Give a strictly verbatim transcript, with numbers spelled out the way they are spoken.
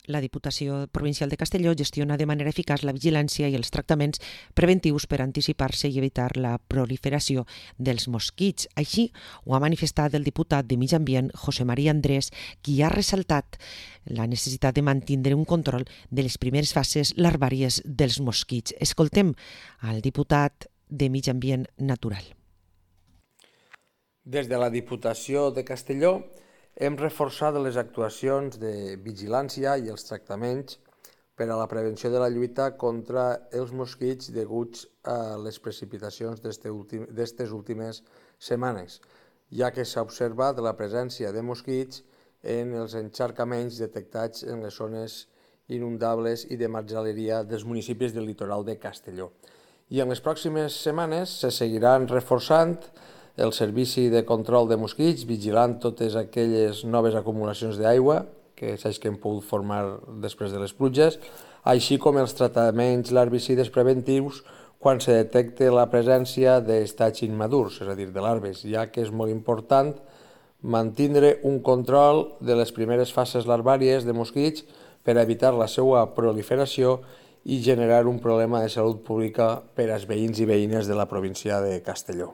La Diputació Provincial de Castelló gestiona de manera eficaç la vigilància i els tractaments preventius per anticipar-se i evitar la proliferació dels mosquits. Així ho ha manifestat el diputat de Mig Ambient, José María Andrés, qui ha ressaltat la necessitat de mantenir un control de les primeres fases larvàries dels mosquits. Escoltem al diputat de Mig Ambient Natural. Des de la Diputació de Castelló hem reforçat les actuacions de vigilància i els tractaments per a la prevenció de la lluita contra els mosquits deguts a les precipitacions d'aquestes últimes setmanes, ja que s'ha observat la presència de mosquits en els encharcaments detectats en les zones inundables i de marjaleria dels municipis del litoral de Castelló. I en les pròximes setmanes se seguiran reforçant el servici de control de mosquits, vigilant totes aquelles noves acumulacions d'aigua que saps que hem pogut formar després de les pluges, així com els tractaments larvicides preventius quan se detecta la presència d'estats immadurs, és a dir, de larves, ja que és molt important mantenir un control de les primeres fases larvàries de mosquits per evitar la seva proliferació i generar un problema de salut pública per als veïns i veïnes de la província de Castelló.